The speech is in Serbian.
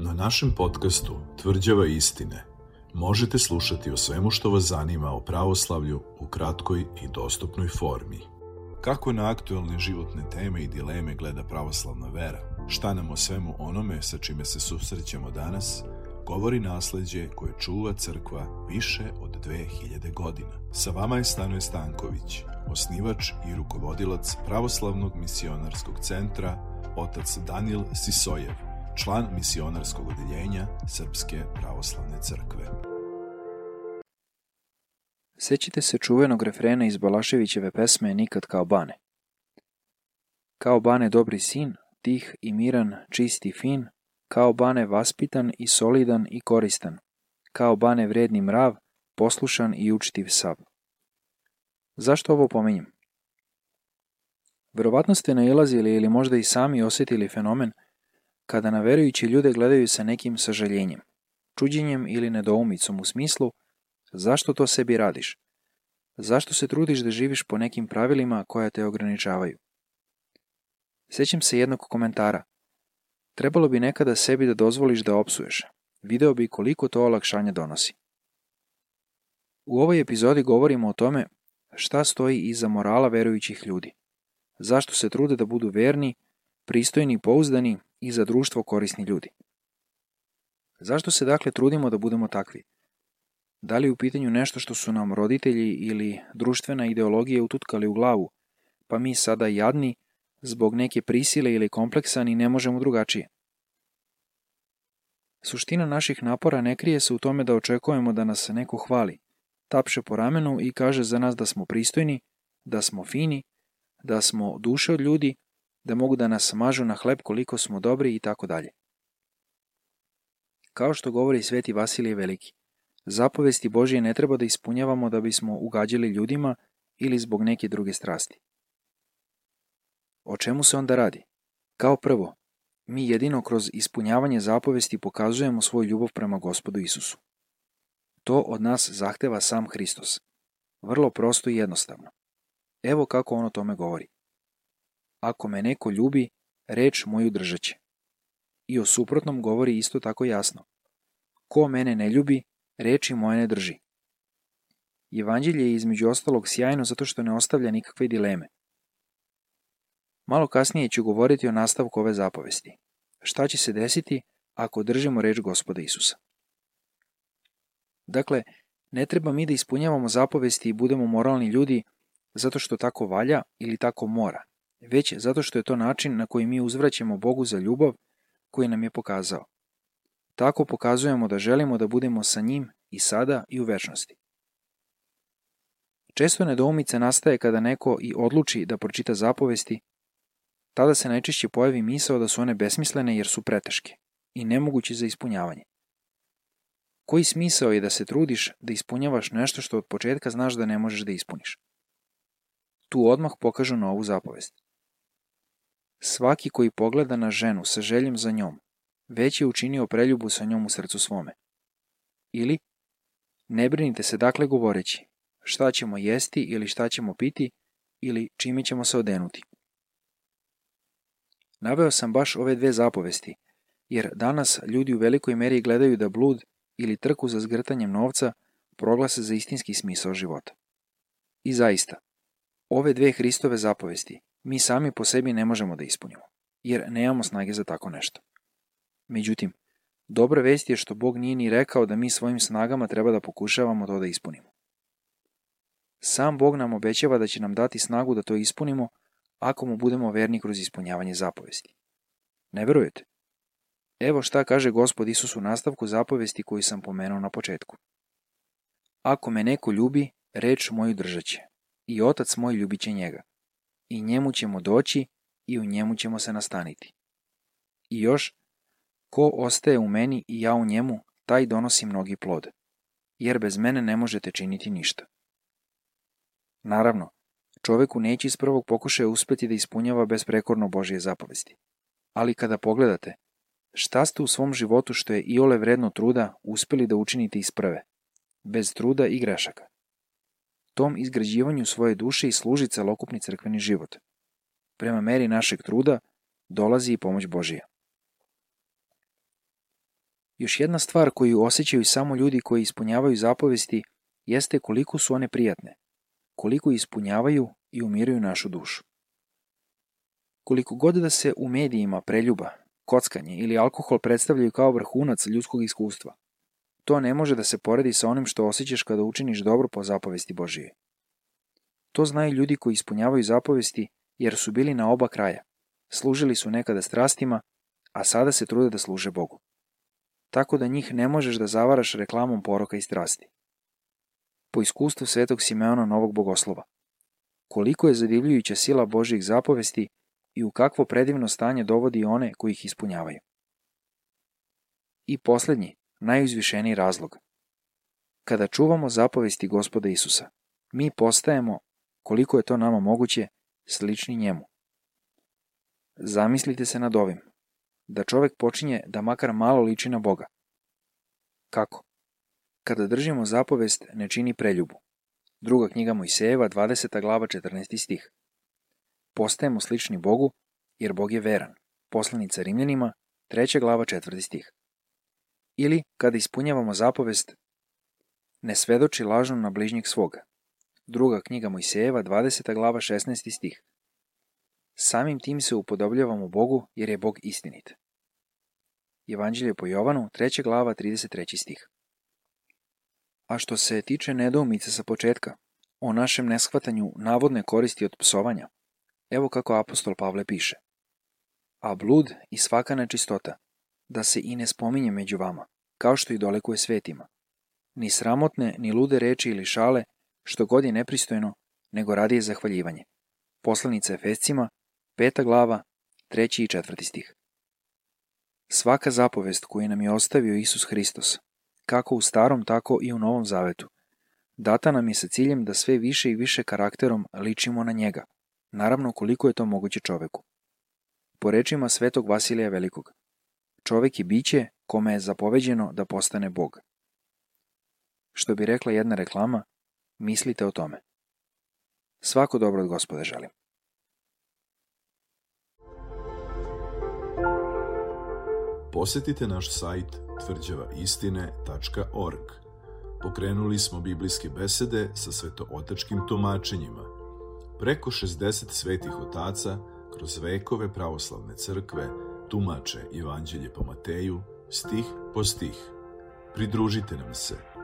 Na našem podcastu Tvrđava istine možete slušati o svemu što vas zanima o pravoslavlju u kratkoj i dostupnoj formi. Kako na aktuelne životne teme i dileme gleda pravoslavna vera? Šta nam o svemu onome sa čime se susrećemo danas govori nasleđe koje čuva crkva više od 2000 godina. Sa vama je Stanoje Stanković, osnivač i rukovodilac Pravoslavnog misionarskog centra, otac Danijel Sisojev, član misionarskog odeljenja Srpske pravoslavne crkve. Sećite se čuvenog refrena iz Balaševićeve pesme Nikad kao Bane. Kao Bane dobri sin, tih i miran, čist i fin, kao Bane vaspitan i solidan i koristan, kao Bane vredni mrav, poslušan i učtiv sav. Zašto ovo pominjem? Verovatno ste nailazili ili možda i sami osjetili fenomen kada na verujući ljude gledaju sa nekim sažaljenjem, čuđenjem ili nedoumicom u smislu zašto to sebi radiš? Zašto se trudiš da živiš po nekim pravilima koja te ograničavaju? Sjećam se jednog komentara. Trebalo bi nekada sebi da dozvoliš da opsuješ. Video bi koliko to olakšanja donosi. U ovoj epizodi govorimo o tome šta stoji iza morala verujućih ljudi. Zašto se trude da budu verni, pristojni, pouzdani i za društvo korisni ljudi. Zašto se dakle trudimo da budemo takvi? Da li je u pitanju nešto što su nam roditelji ili društvena ideologija ututkali u glavu, pa mi sada jadni, zbog neke prisile ili kompleksani ne možemo drugačije? Suština naših napora ne krije se u tome da očekujemo da nas neko hvali, tapše po ramenu i kaže za nas da smo pristojni, da smo fini, da smo duše od ljudi, da mogu da nas mažu na hleb koliko smo dobri i tako dalje. Kao što govori Sveti Vasilije Veliki, zapovesti Božije ne treba da ispunjavamo da bismo ugađali ljudima ili zbog neke druge strasti. O čemu se onda radi? Kao prvo, mi jedino kroz ispunjavanje zapovesti pokazujemo svoju ljubav prema Gospodu Isusu. To od nas zahteva sam Hristos. Vrlo prosto i jednostavno. Evo kako on o tome govori. Ako me neko ljubi, reč moju držat će. I o suprotnom govori isto tako jasno. Ko mene ne ljubi, reči moje ne drži. Evanđelje je između ostalog sjajno zato što ne ostavlja nikakve dileme. Malo kasnije ću govoriti o nastavku ove zapovesti. Šta će se desiti ako držimo reč Gospoda Isusa? Dakle, ne treba mi da ispunjavamo zapovesti i budemo moralni ljudi zato što tako valja ili tako mora, već zato što je to način na koji mi uzvraćamo Bogu za ljubav koju nam je pokazao. Tako pokazujemo da želimo da budemo sa njim i sada i u večnosti. Često nedoumica nastaje kada neko i odluči da pročita zapovesti, tada se najčešće pojavi misao da su one besmislene jer su preteške i nemoguće za ispunjavanje. Koji smisao je da se trudiš da ispunjavaš nešto što od početka znaš da ne možeš da ispuniš? Tu odmah pokažu novu zapovest. Svaki koji pogleda na ženu sa željem za njom, već je učinio preljubu sa njom u srcu svome. Ili, ne brinite se dakle govoreći, šta ćemo jesti ili šta ćemo piti ili čime ćemo se odenuti. Naveo sam baš ove dve zapovesti, jer danas ljudi u velikoj meri gledaju da blud ili trku za zgrtanjem novca proglase za istinski smisao života. I zaista, ove dve Hristove zapovesti mi sami po sebi ne možemo da ispunimo, jer nemamo snage za tako nešto. Međutim, dobra vest je što Bog nije ni rekao da mi svojim snagama treba da pokušavamo to da ispunimo. Sam Bog nam obećava da će nam dati snagu da to ispunimo ako mu budemo verni kroz ispunjavanje zapovesti. Ne verujete? Evo šta kaže Gospod Isus u nastavku zapovesti koju sam pomenuo na početku. Ako me neko ljubi, reč moju držat će, i Otac moj ljubit će njega, i njemu ćemo doći i u njemu ćemo se nastaniti. I još, ko ostaje u meni i ja u njemu, taj donosi mnogi plod, jer bez mene ne možete činiti ništa. Naravno, čoveku neće iz prvog pokušaja uspeti da ispunjava besprekorno Božje zapovesti. Ali kada pogledate, šta ste u svom životu što je iole vredno truda uspeli da učinite iz prve, bez truda i grešaka? Tom izgrađivanju svoje duše i služi celokupni crkveni život. Prema meri našeg truda dolazi i pomoć Božija. Još jedna stvar koju osjećaju samo ljudi koji ispunjavaju zapovesti jeste koliko su one prijatne, koliko ispunjavaju i umiruju našu dušu. Koliko god da se u medijima preljuba, kockanje ili alkohol predstavljaju kao vrhunac ljudskog iskustva, to ne može da se poredi sa onim što osjećaš kada učiniš dobro po zapovesti Božije. To znaju ljudi koji ispunjavaju zapovesti jer su bili na oba kraja, služili su nekada strastima, a sada se trude da služe Bogu. Tako da njih ne možeš da zavaraš reklamom poroka i strasti. Po iskustvu svetog Simeona Novog Bogoslova, koliko je zadivljujuća sila Božjih zapovesti i u kakvo predivno stanje dovodi one koji ih ispunjavaju. I posljednji, najuzvišeniji razlog. Kada čuvamo zapovesti Gospoda Isusa, mi postajemo, koliko je to nama moguće, slični njemu. Zamislite se nad ovim, da čovek počinje da makar malo liči na Boga. Kako? Kada držimo zapovest ne čini preljubu. Druga knjiga Mojsejeva, 20. glava, 14. stih. Postajemo slični Bogu, jer Bog je veran. Poslanica Rimljanima, 3. glava, 4. stih. Ili kada ispunjavamo zapovest ne svedoči lažno na bližnjeg svoga. Druga knjiga Mojsejeva, 20. glava, 16. stih. Samim tim se upodobljavamo Bogu jer je Bog istinit. Evanđelje po Jovanu, 3. glava, 33. stih. A što se tiče nedoumice sa početka, o našem neshvatanju navodne koristi od psovanja, evo kako apostol Pavle piše. A blud i svaka nečistota, da se i ne spominje među vama, kao što i dolekuje svetima. Ni sramotne, ni lude reči ili šale, što god je nepristojno, nego radije zahvaljivanje. Poslanica Efescima, 5. glava, 3. i 4. stih. Svaka zapovest koju nam je ostavio Isus Hristos, kako u starom, tako i u Novom Zavetu, data nam je sa ciljem da sve više i više karakterom ličimo na njega, naravno koliko je to moguće čoveku. Po rečima svetog Vasilija Velikog, čovek je biće kome je zapoveđeno da postane Bog. Što bi rekla jedna reklama, mislite o tome. Svako dobro od Gospoda želim. Posetite naš sajt tvrđavaistine.org. Pokrenuli smo biblijske besede sa svetootačkim tumačenjima. Preko 60 svetih otaca kroz vekove pravoslavne crkve tumače Evanđelje po Mateju, stih po stih. Pridružite nam se.